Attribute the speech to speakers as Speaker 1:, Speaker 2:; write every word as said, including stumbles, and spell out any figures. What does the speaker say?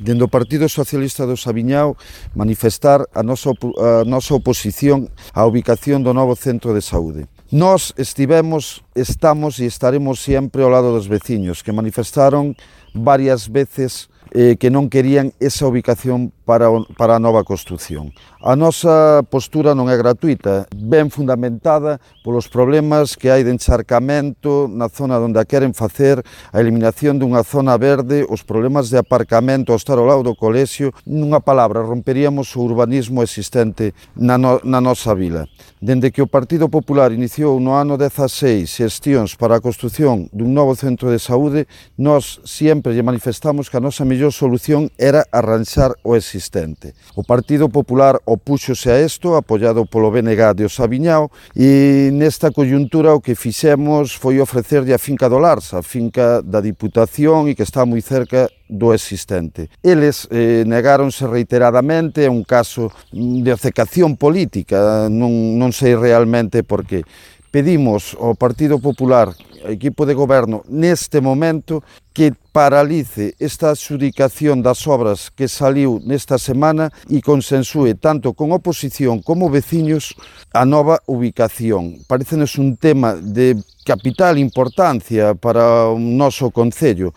Speaker 1: dende o Partido Socialista do Saviñao, manifestar a nosa, a nosa oposición á ubicación do novo centro de saúde. Nós estivemos, estamos e estaremos sempre ao lado dos veciños que manifestaron varias veces eh, que non querían esa ubicación para, para a nova construción. A nosa postura non é gratuita, ben fundamentada polos problemas que hai de encharcamento na zona onde a queren facer, a eliminación dunha zona verde, os problemas de aparcamento ao estar ao lado do colexio. Nunha palabra, romperíamos o urbanismo existente na, no, na nosa vila. Dende que o Partido Popular iniciou no ano dezaseis xestións para a construción dun novo centro de saúde, nós sempre lle manifestamos que a nosa mellor solución era arranxar o existente. O Partido Popular opúxose a isto, apoiado polo B N G de o Saviñao, e nesta coyuntura o que fixemos foi ofrecerlle a finca do Larsa, a finca da Diputación e que está moi cerca do existente. Eles eh, negáronse reiteradamente, é un caso de obcecación política, non, non sei realmente por qué. Pedimos ao Partido Popular, ao equipo de goberno, neste momento, que paralice esta adxudicación das obras que saliu nesta semana e consensúe tanto con oposición como veciños a nova ubicación. Parécenos un tema de capital importancia para o noso concello.